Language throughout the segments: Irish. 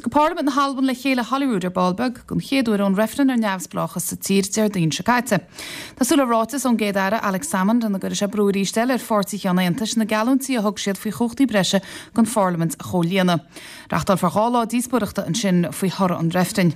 Tiocfaidh Parlaimint na hAlban le chéile i Holyrood ar ball beag, don chéad uair ón reifreann ar neamhspleáchas sa tír Déardaoin seo caite. Tá súil le ráiteas ón gCéad-Aire, Alex Salmond, ina gcuirfidh sé brú arís eile ar pháirtithe an Aontais na geallúintí a thug siad faoi chumhachtaí breise don Pharlaimint a chomhlíonadh. Reachtálfar 2 lá díospóireachta ansin faoi thoradh an reifrinn.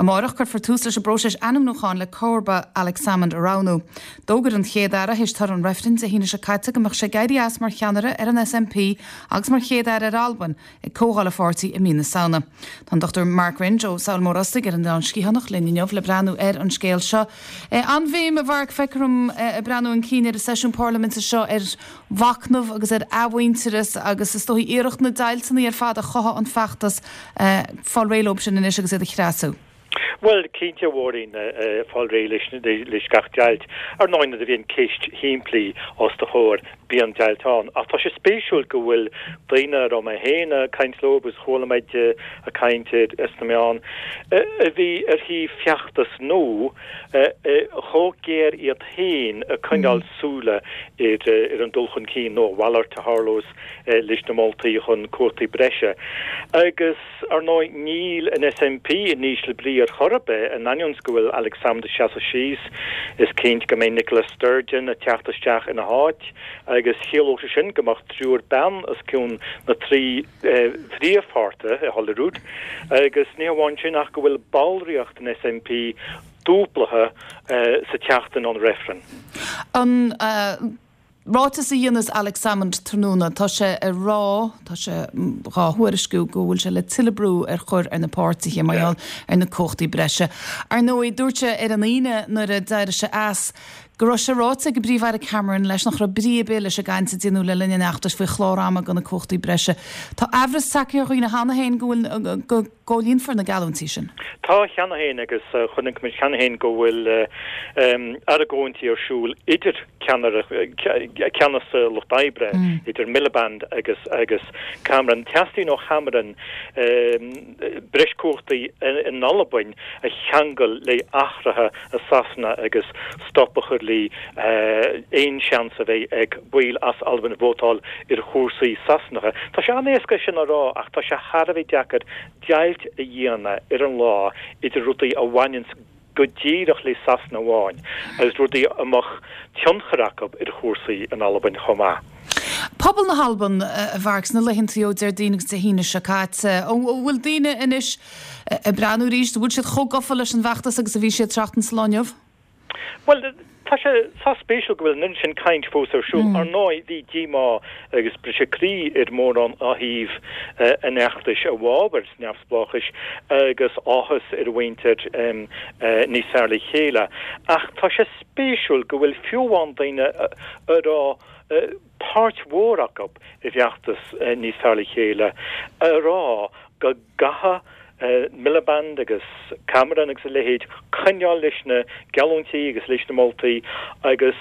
Amárach cuirfear tús leis an bpróiseas ainmniúcháin le comharba Alex Salmond a roghnú. D'fhógair an Chéad-Aire théis toradh an reifrinn Dé hAoine seo caite go mbeadh sé ag éirí as mar cheannaire ar an SNP agus mar Chéad-Aire ar Albain ag comhdháil an pháirtí i mí na Samhna. Tá an Dr Mark Wringe ó Sabhal Mòr Ostaig ar an Oileán Sgitheanach linn inniu le breathnú ar an scéal seo. An-bhéim, a Mhark, feictear dom, ag breathnú chun cinn ar an seisiún parlaiminte seo ar mhachnamh agus ar athmhuintearas agus is dóigh iarracht na deighilteanna ar fad a chothaigh an feachtas fáil réidh leo sin anois agus iad a chreasú. Bhuel, cinnte, a Mháirín, fáil réidh leis gach deighilt. Ar ndóigh, nuair a bhíonn ceist shimplí os do chomhair, bíonn deighilt ann. Ach tá sé spéisiúil go bhfuil daoine a raibh mé féin ag caint leo agus chuala muid ag caint sna meáin, a bhí ar thaobh feachtas No, chomh géar iad féin ag coinneáil súile ar an dul chun cinn nó a mhalairt a tharlós leis na moltaí chun cumhachtaí breise. Agus, ar ndóigh, níl an SNP in ísle brí ar chor ar bith, in ainneoin go bhfuil Alex Salmond ag seasamh síos, is cinnte go mbeidh Nicola Sturgeon ag teacht isteach ina háit agus chiallódh sé sin go mbeadh triúr bean os cionn na dtrí phríomhpháirtithe i Holyrood agus ní hamháin sin ach go bhfuil ballraíocht an SNP dúblaithe sa tseachtain ón reifreann. An ráiteas a dhéanfas Alex Salmond tráthnóna, tá sé ag rá, tá sé dhá thuairisciú go bhfuil sé le tuilleadh brú a chur ar na páirtithe mar gheall ar na cumhachtaí breise. Ar ndóigh, dúirt sé ar an Aoine nuair a d'éirigh sé as go raibh sé ráite ag an bPríomh-Aire Cameron leis nach raibh brí ar bith leis an gcaint a déanadh le linn an fheachtais faoi chlár ama do na cumhachtaí breise. Tá aimhreas tagtha ar dhaoine cheana féin go bhfuil go gcomhlíonfar na geallúintí sin. Tá cheana féin agus chonaic muid cheana féin go bhfuil argóintí ar siúl idir ceannaire, ceannas Lucht Oibre, idir Miliband agus agus Cameron. Teastaíonn ó Chameron breis cumhachtaí in Albain a cheangal le athruithe i Sasana agus stop a chur le aon seans a bheidh ag baill as Albain vótáil ar chúrsaí Sasanacha. Tá sé an-éasca sin a rá ach tá sé thar a bheith deacair deighilt a dhéanamh ar an lá idir rudaí a bhaineanns go díreach le Sasana amháin agus rudaí a mbeadh tionchar acu ar chúrsaí in Albain chomh maith. Pobal na hAlban, a Mharc, sna laethantaí ó Déardaoin agus Dé hAoine seo caite, an bhfuil daoine anois ag breathnú arís, an bhfuil siad chomh gafa leis an bhfeachtas agus a bhí siad seachtain sa lá inniu? Bhuel, tá sé sách spéisiúil go bhfuil an oiread sin caint fós ar siúl. Ar ndóigh, bhí díomá agus briseadh croí ar mhórán ó thaobh an fheachtais i bhfabhar neamhspleáchais agus áthas ar mhuintir Níos Fearr Le Chéile. Ach tá sé spéisiúil go bhfuil fiú amháin daoine a raibh páirt mhór acu i bhfeachtas Níos Fearr Le Chéile a rá go gcaithfidh Miliband agus Cameron agus a leithéid coinneáil leis na geallúintí agus leis na moltaí agus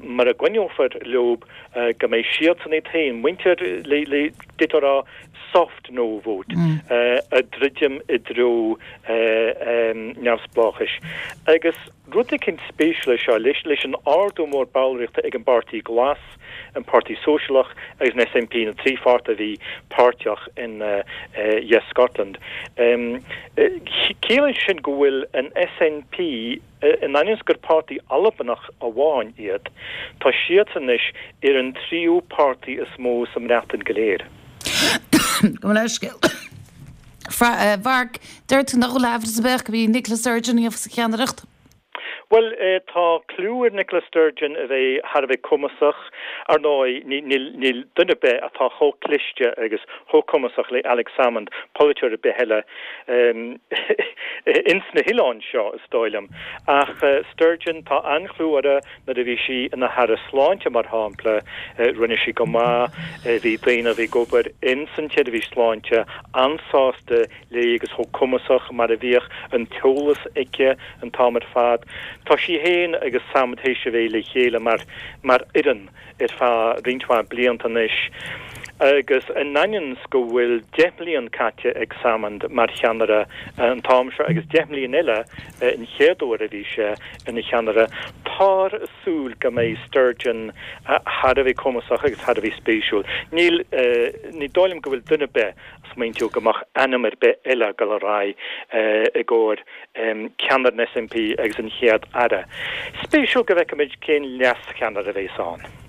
mura gcoinneofar leo go mbeidh siadsan iad féin, muintir le d'fhéadfá a rá soft no vote, ag druidim i dtreo neamhspleáchais. Agus rud eicínt spéisiúil é seo, leis an ardú mór ballraíochta ag an bPáirtí Glas, an Páirtí Sóisialach agus an SNP, na 3 pháirtí a bhí páirteach in Yes Scotland. Ciallaíonn sé sin go bhfuil an SNP, in ainneoin is gur páirtí Albanach amháin iad, tá siadsan anois ar an tríú páirtí is mó sa mBreatain go léir. Gabh mo leithscéal. A Mharc, deir tú nach bhfuil aimhreas ar bith gurb í Nicola Sturgeon a gheobhas an cheannaireacht? Bhuel, tá clú ar Nicola Sturgeon a bheith thar a bheith cumasach. Ar ndóigh, níl duine ar bith atá chomh cliste agus chomh cumasach le Alex Salmond, polaiteoir ar bith eile ins na hoileáin seo, is dóigh liom. Ach Sturgeon, tá an-chlú uirthi nuair a bhí sí ina hAire Sláinte, mar shampla, rinne sí go maith. Bhí daoine a bhí ag obair ins an tseirbhís sláinte an-sásta léi agus chomh cumasach mar a bhíodh an t-eolas aici an t-am ar fad. Tá sí féin agus Salmond théis a bheith le chéile mar mar fhoireann ar feadh roinnt mhaith blianta anois. Agus in ainneoin 's go bhfuil 10 mbliain caite ag Salmond mar cheannaire an t-am seo agus 10 mbliain eile an chéad uair a bhí sé ina cheannaire, táthar ag súil go mbeidh Sturgeon thar a bheith cumasach agus thar a bheith spéisiúil. Níl, ní dóigh liom go bhfuil duine ar bith ag smaointiú go mbeadh ainm ar bith eile ag dul ar aghaidh i gcomhair ceannaire an SNP agus an Chéad Aire. Spéisiúil go bhfeicfimid cén leascheannaire a bheas ann.